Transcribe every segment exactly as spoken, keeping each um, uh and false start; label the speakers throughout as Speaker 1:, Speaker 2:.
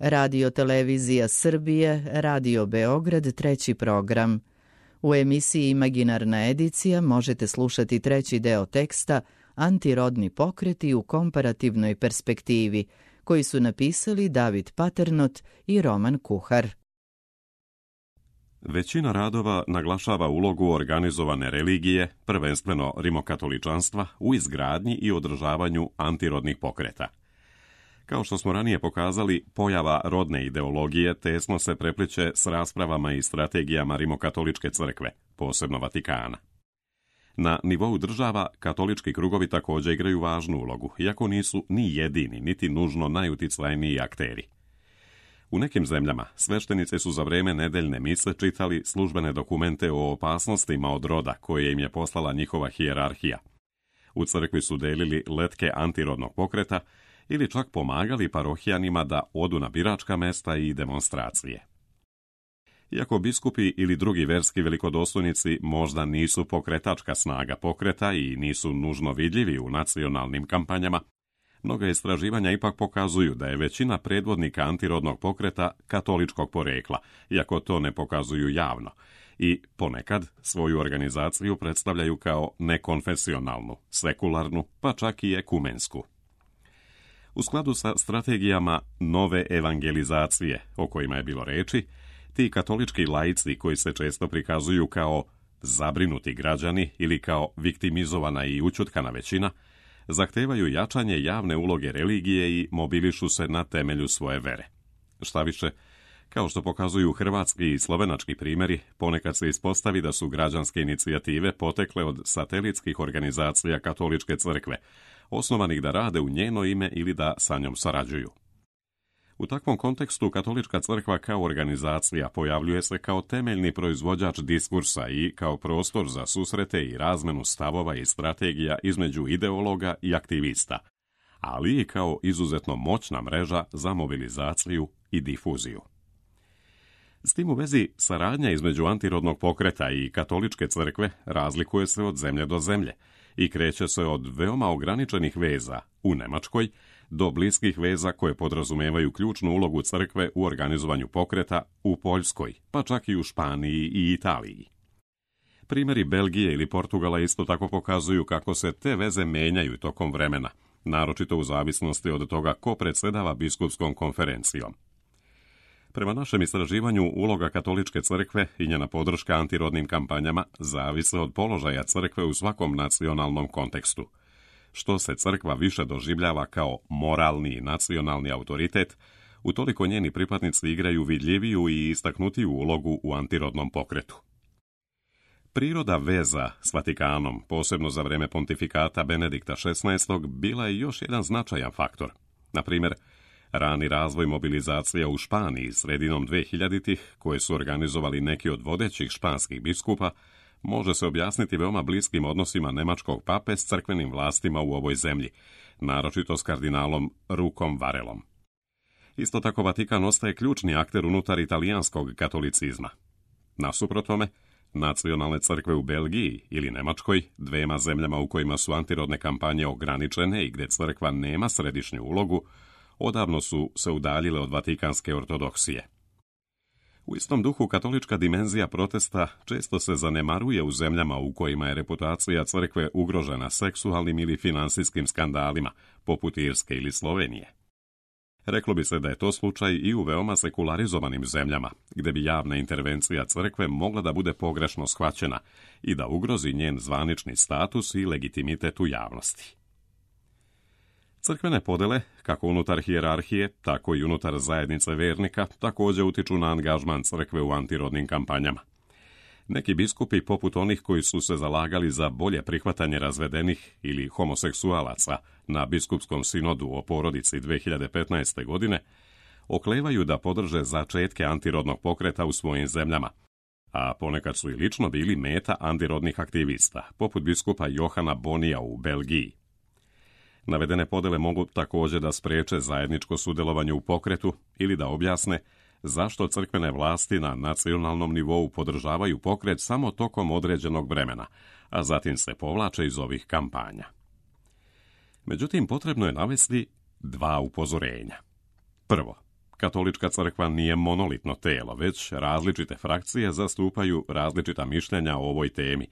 Speaker 1: Radio Televizija Srbije, Radio Beograd, treći program. U emisiji Imaginarna edicija možete slušati treći deo teksta Antirodni pokreti u komparativnoj perspektivi, koji su napisali David Paternot i Roman Kuhar.
Speaker 2: Većina radova naglašava ulogu organizovane religije, prvenstveno rimokatoličanstva, u izgradnji i održavanju antirodnih pokreta. Kao što smo ranije pokazali, pojava rodne ideologije tesno se prepliče s raspravama i strategijama rimokatoličke crkve, posebno Vatikana. Na nivou država, katolički krugovi također igraju važnu ulogu, iako nisu ni jedini, niti nužno najuticajniji akteri. U nekim zemljama sveštenici su za vrijeme nedeljne mise čitali službene dokumente o opasnostima od roda koje im je poslala njihova hijerarhija. U crkvi su delili letke antirodnog pokreta ili čak pomagali parohijanima da odu na biračka mesta i demonstracije. Iako biskupi ili drugi verski velikodostojnici možda nisu pokretačka snaga pokreta i nisu nužno vidljivi u nacionalnim kampanjama, mnoga istraživanja ipak pokazuju da je većina predvodnika antirodnog pokreta katoličkog porekla, iako to ne pokazuju javno, i ponekad svoju organizaciju predstavljaju kao nekonfesionalnu, sekularnu, pa čak i ekumensku. U skladu sa strategijama nove evangelizacije, o kojima je bilo reči, ti katolički laici koji se često prikazuju kao zabrinuti građani ili kao viktimizovana i ućutkana većina, zahtevaju jačanje javne uloge religije i mobilišu se na temelju svoje vere. Štaviše, kao što pokazuju hrvatski i slovenački primjeri, ponekad se ispostavi da su građanske inicijative potekle od satelitskih organizacija katoličke crkve, osnovanih da rade u njeno ime ili da sa njom sarađuju. U takvom kontekstu katolička crkva kao organizacija pojavljuje se kao temeljni proizvođač diskursa i kao prostor za susrete i razmenu stavova i strategija između ideologa i aktivista, ali i kao izuzetno moćna mreža za mobilizaciju i difuziju. S tim u vezi, saradnja između antirodnog pokreta i katoličke crkve razlikuje se od zemlje do zemlje i kreće se od veoma ograničenih veza u Nemačkoj do bliskih veza koje podrazumevaju ključnu ulogu crkve u organizovanju pokreta u Poljskoj, pa čak i u Španiji i Italiji. Primjeri Belgije ili Portugala isto tako pokazuju kako se te veze menjaju tokom vremena, naročito u zavisnosti od toga ko predsjedava biskupskom konferencijom. Prema našem istraživanju, uloga katoličke crkve i njena podrška antirodnim kampanjama zavise od položaja crkve u svakom nacionalnom kontekstu. Što se crkva više doživljava kao moralni i nacionalni autoritet, utoliko njeni pripadnici igraju vidljiviju i istaknutiju ulogu u antirodnom pokretu. Priroda veza s Vatikanom, posebno za vrijeme pontifikata Benedikta šesnaestog, bila je još jedan značajan faktor. Na primjer, rani razvoj mobilizacija u Španiji sredinom dvehiljaditih, koje su organizovali neki od vodećih španskih biskupa, može se objasniti veoma bliskim odnosima nemačkog pape s crkvenim vlastima u ovoj zemlji, naročito s kardinalom Rukom Varelom. Isto tako Vatikan ostaje ključni akter unutar italijanskog katolicizma. Nasuprot tome, nacionalne crkve u Belgiji ili Nemačkoj, dvema zemljama u kojima su antirodne kampanje ograničene i gdje crkva nema središnju ulogu, odavno su se udaljile od vatikanske ortodoksije. U istom duhu katolička dimenzija protesta često se zanemaruje u zemljama u kojima je reputacija crkve ugrožena seksualnim ili finansijskim skandalima, poput Irske ili Slovenije. Reklo bi se da je to slučaj i u veoma sekularizovanim zemljama, gdje bi javna intervencija crkve mogla da bude pogrešno shvaćena i da ugrozi njen zvanični status i legitimitet u javnosti. Crkvene podele, kako unutar hijerarhije, tako i unutar zajednice vernika, također utiču na angažman crkve u antirodnim kampanjama. Neki biskupi, poput onih koji su se zalagali za bolje prihvatanje razvedenih ili homoseksualaca na biskupskom sinodu o porodici dve hiljade petnaeste. godine, oklevaju da podrže začetke antirodnog pokreta u svojim zemljama, a ponekad su i lično bili meta antirodnih aktivista, poput biskupa Johana Bonija u Belgiji. Navedene podele mogu također da spriječe zajedničko sudjelovanje u pokretu ili da objasne zašto crkvene vlasti na nacionalnom nivou podržavaju pokret samo tokom određenog vremena, a zatim se povlače iz ovih kampanja. Međutim, potrebno je navesti dva upozorenja. Prvo, Katolička crkva nije monolitno telo, već različite frakcije zastupaju različita mišljenja o ovoj temi,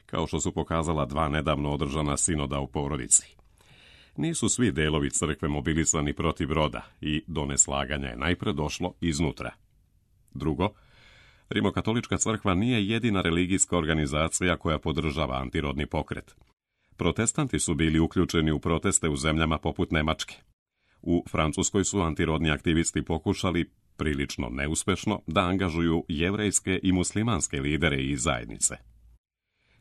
Speaker 2: kao što su pokazala dva nedavno održana sinoda u porodici. Nisu svi delovi crkve mobilisani protiv roda i do neslaganja je najpre došlo iznutra. Drugo, Rimokatolička crkva nije jedina religijska organizacija koja podržava antirodni pokret. Protestanti su bili uključeni u proteste u zemljama poput Nemačke. U Francuskoj su antirodni aktivisti pokušali, prilično neuspešno, da angažuju jevrejske i muslimanske lidere i zajednice.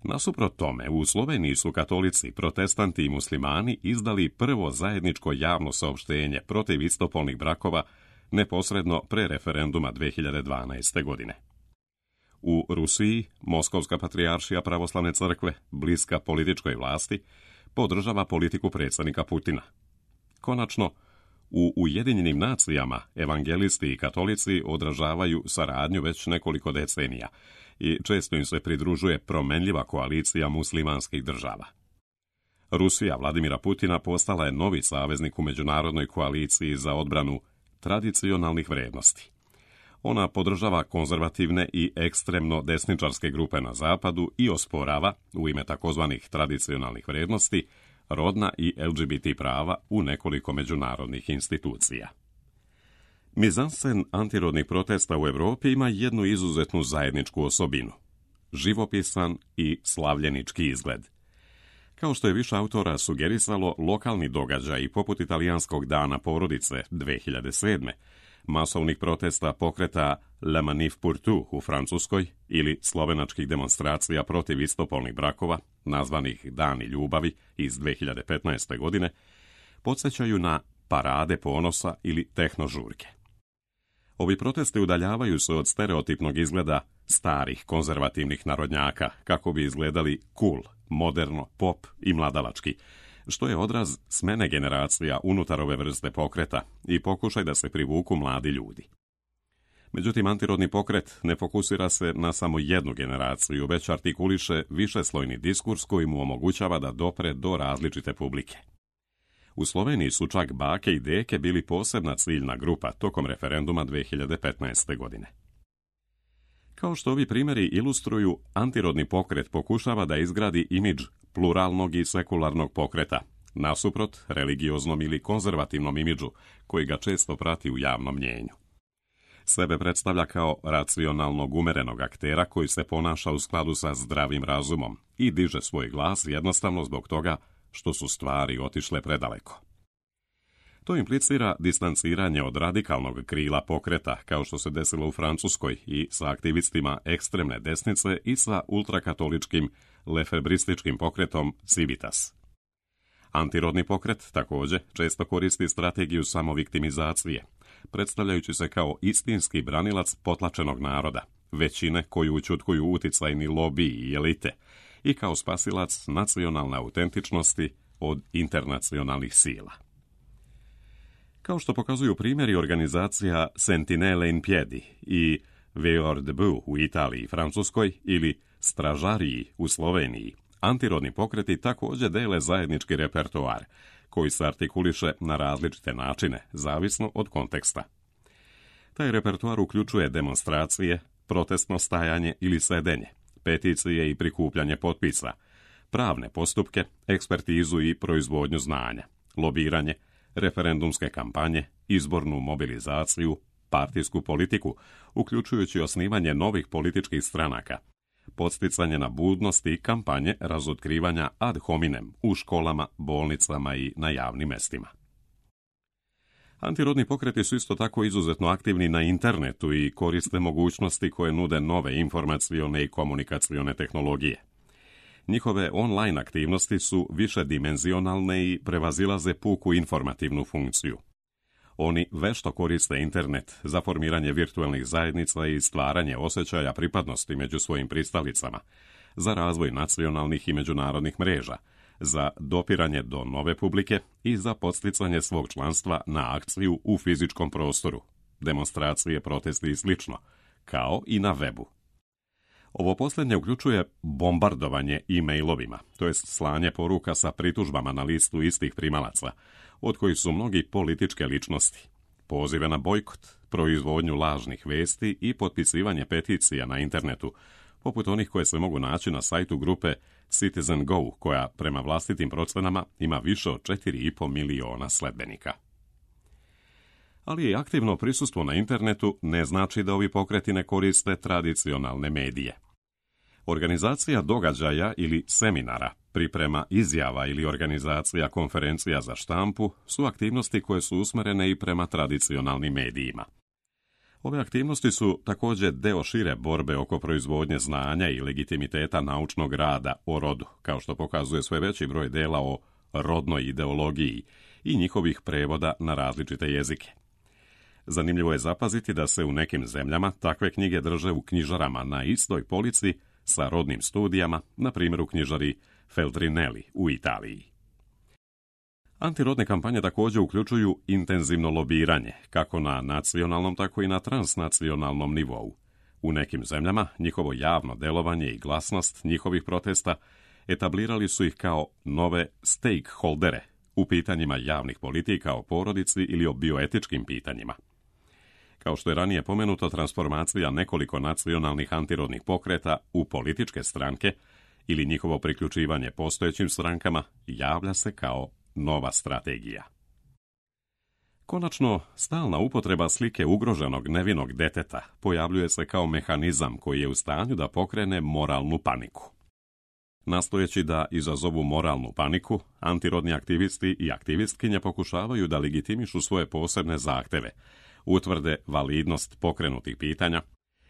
Speaker 2: Nasuprot tome, u Sloveniji su katolici, protestanti i muslimani izdali prvo zajedničko javno saopštenje protiv istopolnih brakova neposredno pre referenduma dve hiljade dvanaeste. godine. U Rusiji, Moskovska patrijaršija pravoslavne crkve, bliska političkoj vlasti, podržava politiku predsjednika Putina. Konačno, u Ujedinjenim nacijama evangelisti i katolici odražavaju saradnju već nekoliko decenija i često im se pridružuje promenljiva koalicija muslimanskih država. Rusija Vladimira Putina postala je novi saveznik u međunarodnoj koaliciji za odbranu tradicionalnih vrednosti. Ona podržava konzervativne i ekstremno desničarske grupe na zapadu i osporava, u ime takozvanih tradicionalnih vrednosti, rodna i L G B T prava u nekoliko međunarodnih institucija. Mizansen antirodnih protesta u Evropi ima jednu izuzetnu zajedničku osobinu – živopisan i slavljenički izgled. Kao što je više autora sugerisalo, lokalni događaj poput italijanskog dana porodice dve hiljade sedme, masovnih protesta pokreta La Manif pour tout u Francuskoj ili slovenačkih demonstracija protiv istopolnih brakova, nazvanih Dani ljubavi iz dve hiljade petnaeste. godine, podsjećaju na parade ponosa ili tehnožurke. Ovi protesti udaljavaju se od stereotipnog izgleda starih konzervativnih narodnjaka, kako bi izgledali cool, moderno, pop i mladalački, što je odraz smene generacija unutar ove vrste pokreta i pokušaj da se privuku mladi ljudi. Međutim, antirodni pokret ne fokusira se na samo jednu generaciju, već artikuliše višeslojni diskurs koji mu omogućava da dopre do različite publike. U Sloveniji su čak bake i deke bili posebna ciljna grupa tokom referenduma dve hiljade petnaeste. godine. Kao što ovi primjeri ilustruju, antirodni pokret pokušava da izgradi imidž pluralnog i sekularnog pokreta, nasuprot religioznom ili konzervativnom imidžu koji ga često prati u javnom mnjenju. Sebe predstavlja kao racionalnog umerenog aktera koji se ponaša u skladu sa zdravim razumom i diže svoj glas jednostavno zbog toga što su stvari otišle predaleko. To implicira distanciranje od radikalnog krila pokreta, kao što se desilo u Francuskoj i sa aktivistima ekstremne desnice i sa ultrakatoličkim lefebrističkim pokretom Civitas. Antirodni pokret također često koristi strategiju samoviktimizacije, predstavljajući se kao istinski branilac potlačenog naroda, većine koju učutkuju uticajni lobiji i elite, i kao spasilac nacionalne autentičnosti od internacionalnih sila. Kao što pokazuju primjeri organizacija Sentinelle in Piedi i Veilleur debout u Italiji i Francuskoj ili Stražariji u Sloveniji, antirodni pokreti također dele zajednički repertoar, koji se artikuliše na različite načine, zavisno od konteksta. Taj repertoar uključuje demonstracije, protestno stajanje ili sedenje, peticije i prikupljanje potpisa, pravne postupke, ekspertizu i proizvodnju znanja, lobiranje, referendumske kampanje, izbornu mobilizaciju, partijsku politiku, uključujući osnivanje novih političkih stranaka, podsticanje na budnost i kampanje razotkrivanja ad hominem u školama, bolnicama i na javnim mestima. Antirodni pokreti su isto tako izuzetno aktivni na internetu i koriste mogućnosti koje nude nove informacione i komunikacione tehnologije. Njihove online aktivnosti su višedimenzionalne i prevazilaze puku informativnu funkciju. Oni vešto koriste internet za formiranje virtualnih zajednica i stvaranje osjećaja pripadnosti među svojim pristalicama, za razvoj nacionalnih i međunarodnih mreža, za dopiranje do nove publike i za podsticanje svog članstva na akciju u fizičkom prostoru, demonstracije, protesti i sl., kao i na webu. Ovo posljednje uključuje bombardovanje e-mailovima, to jest slanje poruka sa pritužbama na listu istih primalaca, od kojih su mnogi političke ličnosti, pozive na bojkot, proizvodnju lažnih vesti i potpisivanje peticija na internetu, poput onih koje se mogu naći na sajtu grupe Citizen Go, koja prema vlastitim procenama ima više od četiri i po miliona sledbenika. Ali i aktivno prisustvo na internetu ne znači da ovi pokreti ne koriste tradicionalne medije. Organizacija događaja ili seminara, priprema izjava ili organizacija konferencija za štampu su aktivnosti koje su usmjerene i prema tradicionalnim medijima. Ove aktivnosti su također deo šire borbe oko proizvodnje znanja i legitimiteta naučnog rada o rodu, kao što pokazuje sve veći broj dela o rodnoj ideologiji i njihovih prevoda na različite jezike. Zanimljivo je zapaziti da se u nekim zemljama takve knjige drže u knjižarama na istoj polici sa rodnim studijama, na primjer u knjižari Feltrinelli u Italiji. Antirodne kampanje također uključuju intenzivno lobiranje, kako na nacionalnom, tako i na transnacionalnom nivou. U nekim zemljama njihovo javno delovanje i glasnost njihovih protesta etablirali su ih kao nove stakeholdere u pitanjima javnih politika o porodici ili o bioetičkim pitanjima. Kao što je ranije pomenuto, transformacija nekoliko nacionalnih antirodnih pokreta u političke stranke ili njihovo priključivanje postojećim strankama javlja se kao nova strategija. Konačno, stalna upotreba slike ugroženog nevinog deteta pojavljuje se kao mehanizam koji je u stanju da pokrene moralnu paniku. Nastojeći da izazovu moralnu paniku, antirodni aktivisti i aktivistkinje pokušavaju da legitimišu svoje posebne zahteve, utvrde validnost pokrenutih pitanja,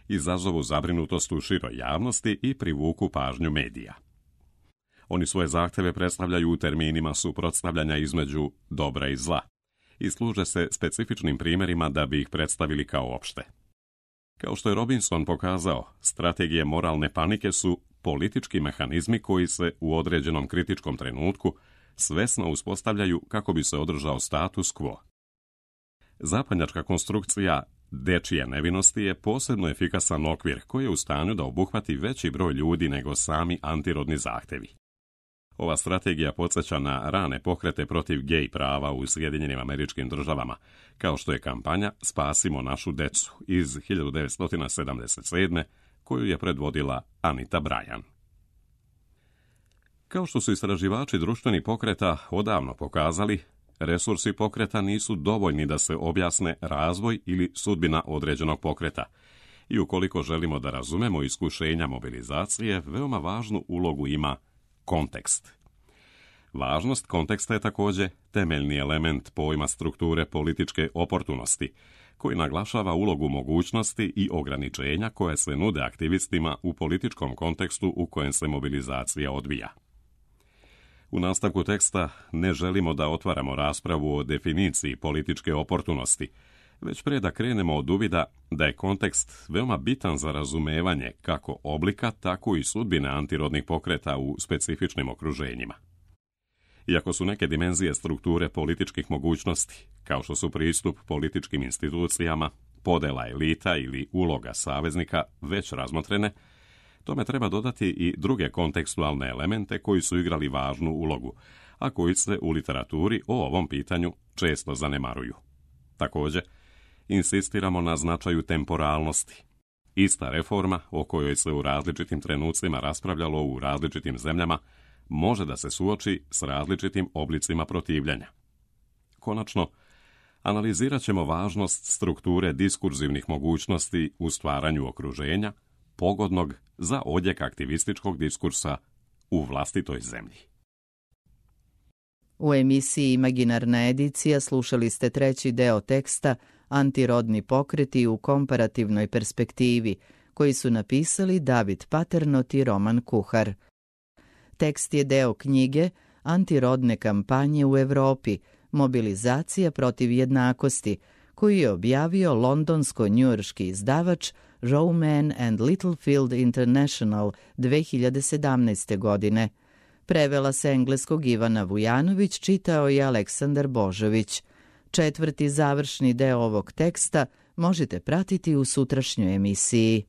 Speaker 2: izazovu zabrinutost u široj javnosti i privuku pažnju medija. Oni svoje zahteve predstavljaju u terminima suprotstavljanja između dobra i zla i služe se specifičnim primjerima da bi ih predstavili kao opšte. Kao što je Robinson pokazao, strategije moralne panike su politički mehanizmi koji se u određenom kritičkom trenutku svesno uspostavljaju kako bi se održao status quo. Zapadnjačka konstrukcija dečije nevinosti je posebno efikasan okvir koji je u stanju da obuhvati veći broj ljudi nego sami antirodni zahtevi. Ova strategija podsjeća na rane pokrete protiv gej prava u Sjedinjenim Američkim Državama, kao što je kampanja Spasimo našu decu iz hiljadu devetsto sedamdeset sedme koju je predvodila Anita Bryan. Kao što su istraživači društvenih pokreta odavno pokazali, resursi pokreta nisu dovoljni da se objasne razvoj ili sudbina određenog pokreta. I ukoliko želimo da razumemo iskušenja mobilizacije, veoma važnu ulogu ima kontekst. Važnost konteksta je također temeljni element pojma strukture političke oportunosti, koji naglašava ulogu mogućnosti i ograničenja koje se nude aktivistima u političkom kontekstu u kojem se mobilizacija odvija. U nastavku teksta ne želimo da otvaramo raspravu o definiciji političke oportunosti, već pre da krenemo od uvida da je kontekst veoma bitan za razumevanje kako oblika, tako i sudbine antirodnih pokreta u specifičnim okruženjima. Iako su neke dimenzije strukture političkih mogućnosti, kao što su pristup političkim institucijama, podela elita ili uloga saveznika, već razmotrene, tome treba dodati i druge kontekstualne elemente koji su igrali važnu ulogu, a koji se u literaturi o ovom pitanju često zanemaruju. Također, insistiramo na značaju temporalnosti. Ista reforma, o kojoj se u različitim trenucima raspravljalo u različitim zemljama, može da se suoči s različitim oblicima protivljenja. Konačno, analizirat ćemo važnost strukture diskurzivnih mogućnosti u stvaranju okruženja, pogodnog za odjek aktivističkog diskursa u vlastitoj zemlji.
Speaker 1: U emisiji Imaginarna edicija slušali ste treći deo teksta Antirodni pokreti u komparativnoj perspektivi, koji su napisali David Paternot i Roman Kuhar. Tekst je deo knjige Antirodne kampanje u Evropi, mobilizacija protiv jednakosti, koju je objavio londonsko-njujorški izdavač Rowman and Littlefield International dve hiljade sedamnaeste. godine. Prevela se engleskog Ivana Vujanović, čitao je Aleksandar Božović. Četvrti završni deo ovog teksta možete pratiti u sutrašnjoj emisiji.